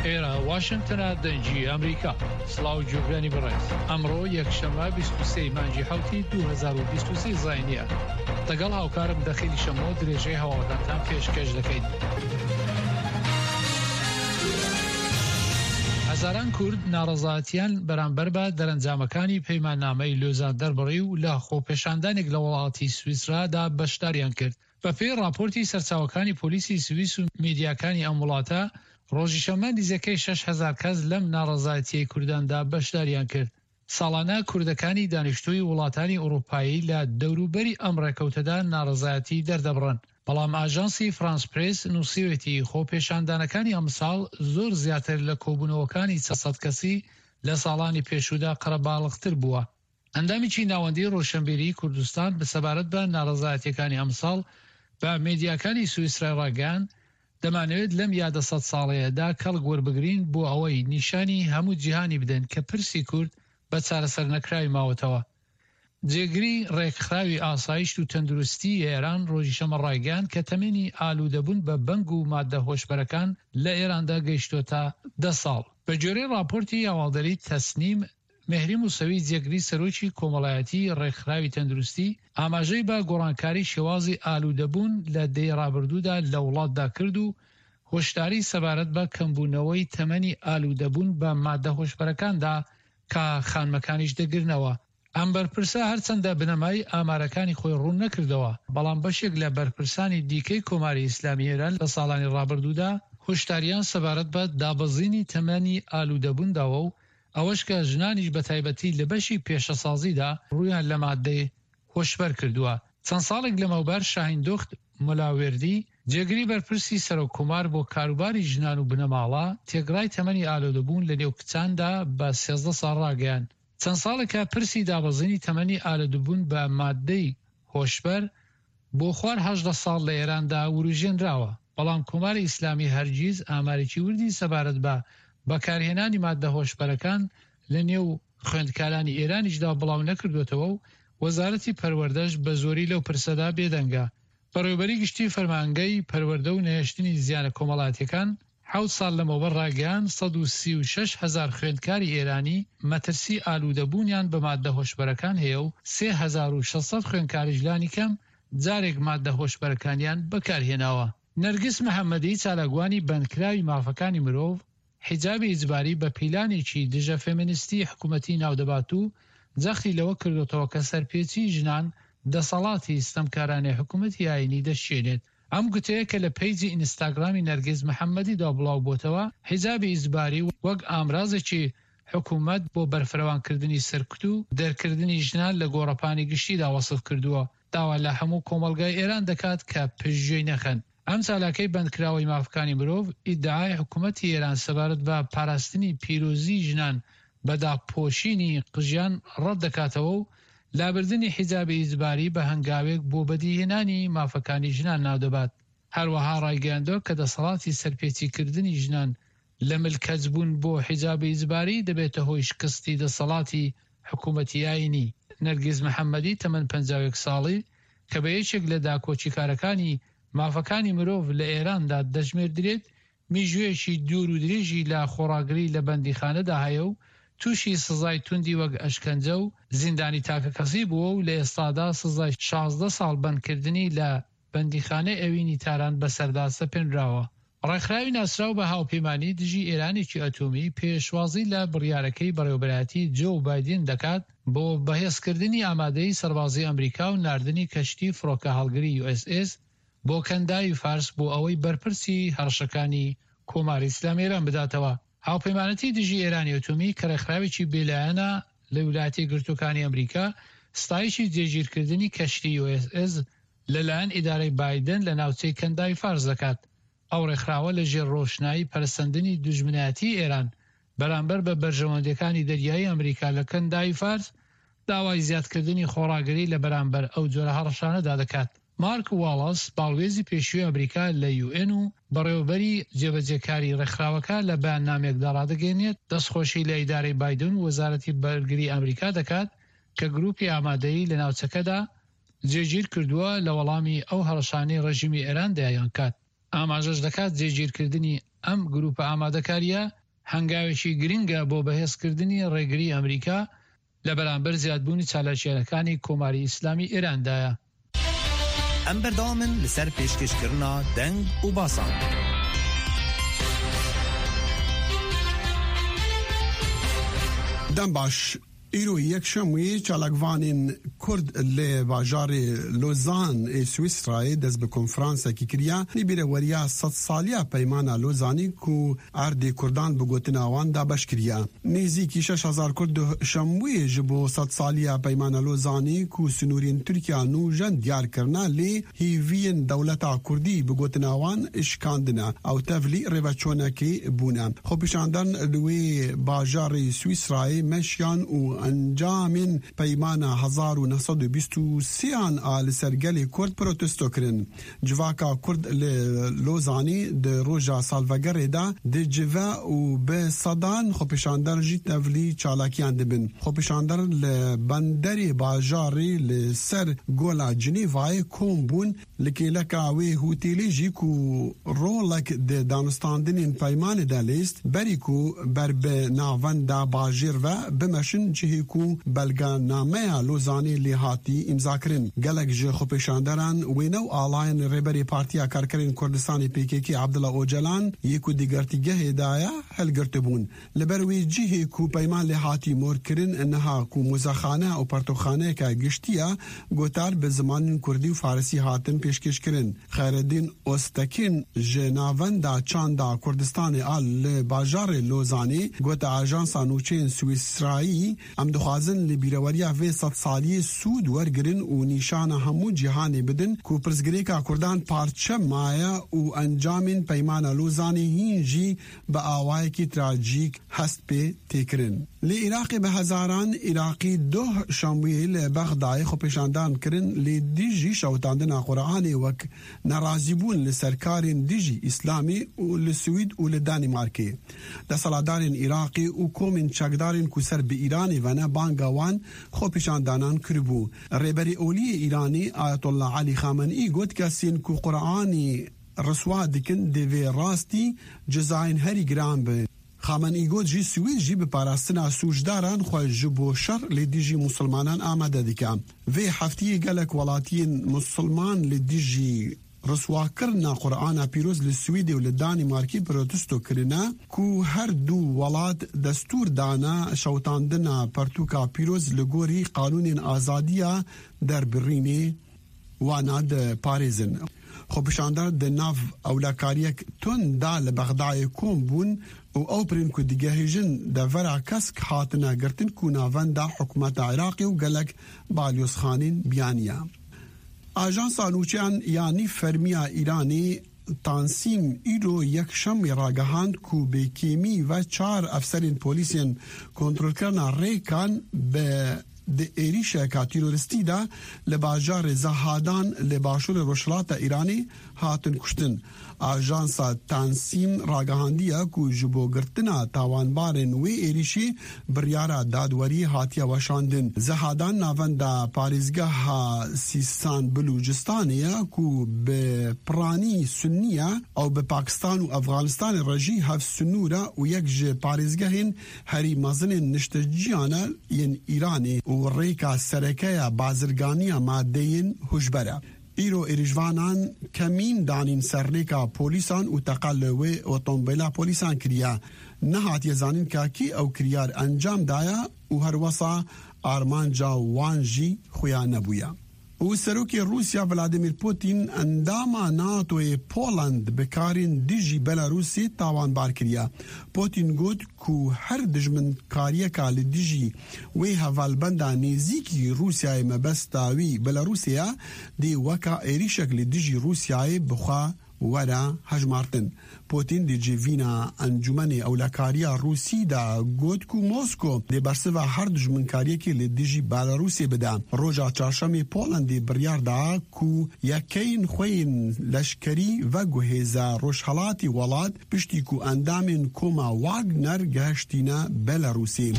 ئێرە واشنتنە دەنگی ئەمریکا. سڵاو گوێگرانی بەڕێز. ئەمڕۆ یەکشەممە 23 مانگی حەوتی 2023 زاینیە. دەگەڵ هاوکارم دەخیلی شەمۆ درێژەی هەواڵەکانتان پێشکەش دەکەین. هەزاران کورد ناڕەزایەتیان بەرامبەر بە دەرەنجامەکانی پەیماننامەی لۆزان دەربڕی و لە خۆپێشاندانێک لە وڵاتی سویسرادا بەشداریان کرد. بەپێی ڕاپۆرتی سەرچاوەکانی پۆلیسی سویس و میدیاکانی ئەم وڵاتە، ڕۆژی شەممە نزیکەی 6000 کەس لەم ناڕەزایەتییەی کورداندا بەشداریان کرد. ساڵانە کوردەکانی دانیشتووی وڵاتانی ئوڕووپایی لە دەوروبەری ئەم ڕێکەوتەدا ناڕەزایەتی دەردەبڕن، بەڵام ئاژانسی فرانس پرێس نووسیوێتی خۆپێشاندانەکانی ئەمساڵ زۆر زیاتر لە کۆبوونەوەکانی چەند سەد کەسی لە ساڵانی پێشوودا قەرەباڵغتر بووە. ئەندامێکی ناوەندی ڕۆشنبیریی کوردستان سەبارەت بە ناڕەزایەتییەکانی ئەمساڵ بە مێدیاکانی سویسرای ڕاگەیاند، دەمانەوێت لەم یادە سەدساڵەیەدا کەڵک وەربگرین بۆ ئەوەی نیشانی هەموو جیهانی بدەین کە پرسی کورد بە چارەسەرنەکراوی ماوەتەوە. جێگری ڕێکخراوی ئاسایشت و تەندروستیی ئێران ڕۆژی شەممە ڕایگەیاند کە تەمەنی ئالوودەبوون بە بەنگ و ماددە هۆشبەرەکان لە ئێراندا گەیشتۆتە دە ساڵ. بە گوێرەی ڕاپۆرتی هەواڵدەریی تەسنیم، مێهری موسەوی جێگری سەرۆکی کۆمەڵایەتیی ڕێکخراوی تەندروستی، ئاماژەی بە گۆڕانکاری شێوازی ئالوودەبوون لە دەیەی ڕابردوودا لە وڵاتدا کرد و هۆشداری سەبارەت بە کەمبوونەوەی تەمەنی ئالوودەبوون بە ماددە هۆشبەرەکان دا کە خانمەکانیش دەگرنەوە. ئەم بەرپرسە هەرچەندە بنەمای ئامارەکانی خۆی ڕوون نەکردەوە، بەڵام بەشێک لە بەرپرسانی دیکەی کۆماری ئیسلامی ئێران لە ساڵانی ڕابردوودا هۆشداریان سەبارەت بە دابەزینی تەمەنی ئالوودەبوون داوە و ئەوەش کە ژنانیش بەتایبەتی لە بەشی پێشەسازیدا ڕوویان لە ماددەی هۆشبەر کردووە. چەند ساڵێک لەمەوبەر شاهیندوخت ملاوێردی، جێگری بەرپرسی سەرۆک کۆمار بۆ کاروباری ژنان و بنەماڵە، تێکڕای تەمەنی ئالۆدەبوون لەنێو کچاندا بە 13 ساڵ ڕاگەیاند. چەند ساڵێکە پرسی دابەزینی تەمەنی ئالودبوون بە ماددەی هۆشبەر بۆ خوار 18 ساڵ لە ئێراندا وروژێنراوە، بەڵام کۆماری ئیسلامی هەرگیز ئامارێکی وردی سەبارەت بە بەکارهێنانی ماددە هۆشبەرەکان لە نێو خوێندکارانی ئێرانیشدا بڵاو نەکردووەتەوە و وەزارەتی پەروەردەش بە زۆری لەو پرسەدا بێدەنگە. بەڕێوەبەری گشتی فەرمانگەی پەروەردە و نەهێشتنی زیانە کۆمەڵایەتیەکان حەوت ساڵ لەمەوبەر ڕایگەیاند، 136 هەزار خوێندکاری ئێرانی مەترسی ئالوودەبوونیان بە ماددە هۆشبەرەکان هەیە و 3600 خوێندکاریش لانیکەم جارێک ماددە هۆشبەرەکانیان بەکارهێناوە. نەرگس محەمەدی چالاکوانی بەندکراوی مافەکانی مرۆڤ، حیجابی ئیجباری بە پیلانێکی دژە فێمینستی حکومەتی ناودەبات و جەختی لەوە کردۆتەوە کە سەرپێچی ژنان دەسەڵاتی ستەمکارانەی حکومەتی ئایینی دەشکێنێت. ئەم گوتەیە کە لە پەیجی ئینستاگرامی نەرگیز محەمەدیدا بڵاوبۆتەوە، حیجابی ئیجباری وەک ئامرازێکی حکومەت بۆ بەرفرەوانکردنی سەرکوت و دەرکردنی ژنان لە گۆڕەپانی گشتیدا وەسف کردووە، داوا لە هەموو کۆمەڵگای ئێران دەکات کە پشتگوێی نەخەن. ئەم چالاکەی بەندکراوەی مافەکانی مرۆڤ، ئیدعای حکومەتی ئێران سەبارەت بە پاراستنی پیرۆزیی ژنان بە داپۆشینی قژیان ڕەت دەکاتەوە و لابردنی حیجابی ئیجباری بە هەنگاوێک بۆ بەدیهێنانی مافەکانی ژنان ناودەبات. هەروەها ڕایگەیاندووە کە دەسەڵاتی سەرپێچیکردنی ژنان لە ملکەچبوون بۆ حیجابی ئیجباری دەبێتە هۆی شکستی دەسەڵاتی حکوومەتی ئایینی. نەرگیز محەممەدی تەمەن 51 ساڵی کە بە یەکێک لە داکۆکیکارەکانی مافەکانی مرۆڤ لە ئێراندا دەژمێردرێت، میژوویەکی دوور و درێژی لە خۆڕاگری لە بەندیخانەدا هەیە و تووشی سزای توندی وەک ئەشکەنجە و زیندانی تاکەکەسی بووە و لە ئێستادا سزای 16 ساڵ بەندکردنی لە بەندیخانەی ئەوینی تاران بەسەردا سەپێنراوە. ڕێکخراوی ناسراو بە هاوپەیمانی دژی ئێرانێکی ئەتۆمی پێشوازی لە بڕیارەکەی بەڕێوەبەرایەتی جۆو بایدن دەکات بۆ بەهێزکردنی ئامادەیی سەربازی ئەمریکا و ناردنی کەشتی فڕۆکەهەڵگری یو ئێس ئێس بۆ کەنداوی فارس بۆ ئەوەی بەرپرسی هەڕەشەکانی کۆماری ئیسلامی ئێران بداتەوە. هاوپەیمانەتی دژی ئێرانی ئەتۆمی کە ڕێکخراوێکی بێلایەنە لە ویلایەتە یەکگرتووەکانی ئەمریکا، ستایشی جێگیرکردنی کەشتی یو ئێس ئێس لەلایەن ئیدارەی بایدن لە ناوچەی کەنداوی فارس دەکات. ئەو ڕێکخراوە لە ژێر ڕۆشنایی پەرەسەندنی دوژمنایەتیی ئێران بەرامبەر بە بەرژەوەندییەکانی دەریایی ئەمریکا لە کەنداوی فارس، داوای زیادکردنی خۆڕاگری لە بەرامبەر ئەو جۆرە هەڕەشانەدا دەکات. مارک واڵاس، باڵوێزی پێشووی ئەمریکا لە یوئێن و بەڕێوەبەری جێبەجێکاری ڕێکخراوەکە لە بەیاننامەیەکدا ڕادەگەیەنێت، دەستخۆشی لە ئیدارەی بایدن و وەزارەتی بەرگری ئەمریکا دەکات کە گرووپی ئامادەیی لە ناوچەکەدا جێگیر کردووە لە وەڵامی ئەو هەڕەشانەی ڕێژیمی ئێران دەیانکات. ئاماژەش دەکات جێگیرکردنی ئەم گرووپە ئامادەکارییە هەنگاوێکی گرنگە بۆ بەهێزکردنی ڕێگری ئەمریکا لە بەرامبەر زیادبوونی چالاکییەکانی کۆماری ئیسلامی ئێراندایە. ئەم بەردەوامن لەسەر پێشکێشکردنا دەنگ و باسان. دەم باش Îro Yekşemê çalakvanên Kurd li bajarê Lozan ê Swîsrayê dest bi konferansekî kiriye li bîreweriya sedsaliya Peymana Lozanê ku erdê Kurdan bi gotina wan dabeş kiriye. Nêzîkî 6000 Kurd duh şemwê ji bo sedsaliya Peymana Lozanê ku sinûrên Tirkiya nûjen diyar kirine lê hêviyên dewleta Kurdî bi gotina wan şikandine ew tevlî rêveçûnekê bûne. Xwepêşandan li wê bajarê Swîsrayê meşiyan û encamên peymana 1923 an a li ser gelê Kurd protesto kirin. Civaka Kurd li Lozanê di roja salvegerê de dicive û bi sedan xwepêşander jî tevlî çalakiyan dibin. Xwepêşander li benderê bajarê li ser Gola Cinêvayê kom bûn Li kêleka wê hotêlê jî ku rolek di danûstandinên peymanê de lîst, berî ku ber bi navenda bajêr ve bimeşin cihê ku belgenameya Lozanê lê hatî îmzakirin. Gelek ji xwepêşanderan wêne û alayên Rêberê Partiya Karkerên Kurdistanê pkk Abdullah Ocalan yê ku di girtîgehê de ye hilgirtibûn. Li ber wê cihê ku peyman lê hatî morkirin niha ku muzexane û pertokxaneyeke giştî ye, gotar bi zimanên kurdî û farisî hatin pêşkêşkirin. Xeyreddîn Oztekîn ji Navenda Çanda Kurdistanê a li bajarê Lozanê gote Ajansa Nûçeyên Swîsrayî, Em dixwazin li bîreweriya vê sedsaliyê sûd wergirin û nîşana hemû cîhanê bidin ku pirsgirêka Kurdan parçe maye û encamên Peymana Lozanê hîn jî bi awayekî trajîk hest pê tê kirin. Li Iraqê bi hezaran Iraqî doh şemwê li Bexdayê xwepêşandan kirin li dijî şewitandina Quranê wek nerazîbûn li ser karên dijî Îslamê û li Swîd û li Danîmarkê. Desthilatdarên Iraqê û komên çekdarên ku ser bi Îranê ve ne banga wan xwepêşandanan kiribû. Rêberê olî yê Îranê Ayetullah Elî Xamenî got kesên ku Quranê Riswa dikin divê rastî cezayên herî giran bin. Xamenî got jî Swêd jî bi parastina sûcdaran xwe ji bo şer li dijî misilmanan amade dike. Vê hefteyê gelek welatiyên misilman li dijî riswakirina Qur'ana pîroz li Swêdê û li Danîmarkê protesto kirine ku her du welat destûr dane şewitandina pertûka pîroz li gorî qanûnên azadiya derbirînê. Wana diparêzin. Xwepêşander di nav ewlekariyek tund da li Bexdayê kom bûn û ew pirên ku digehêjin devera kesk hatine girtin ku navenda hikûmeta Iraqê û gelek balyozxanên biyanî ye. Ajansa nûçeyan ya nîvfermî ya Îranê Tansîm îro Yekşemê ragihand ku bi kêmî ve çar efserên polîsên kontrolkirina rêkan bi di êrîşeka tîroristî de li bajarê Zahadan li başûrê rojhilata Îranê hatin kuştin. Ajansa Tansîm ragihandiye ku ji bo girtina tawanbarên wê êrîşê biryara dadweriyê hatiye weşandin. Zahadan navenda parêzgeha Sîstan Bilûcistanê ye ku bi piranî sunnî ye, ew bi Pakistan û Efxanistanê re jî hevsinûr e û yek ji parêzgehên herî mezinên nişteciyan e yên Îranê û rêka sereke ya bazirganiya madeyên huşber e. Îro êrîşvanan kemîn danîn ser rêka polîsan û teqe li wê otombêla polîsan kiriye. Nehatiye zanîn ka kî ew kiryar encam daye û herwesa armanca wan jî xuya nebûye. Û Serokê Rûsya Vladimir Putin endama NATO'yê Poland bi karên dijî Belarûsê tawanbar kiriye. Putin got ku her dijminkariyeka li dijî wê hevalbenda nêzîkî Rûsyayê mebesta wî Belarûsê ye dê weka êrîşek li dijî Rûsyayê bi xwe were hejmartin. Putin di civîna Encûmenê Ewlekariya Rûsî de got ku Mosko dê bersiva her dijminkariyekê li dijî Belarûsê bide. Roja Çarşemê Polandê biryar da ku yekeyên xwe yên leşkerî veguhêze rojhilatê welat piştî ku endamên koma Wagner gehiştîne Belarûsê.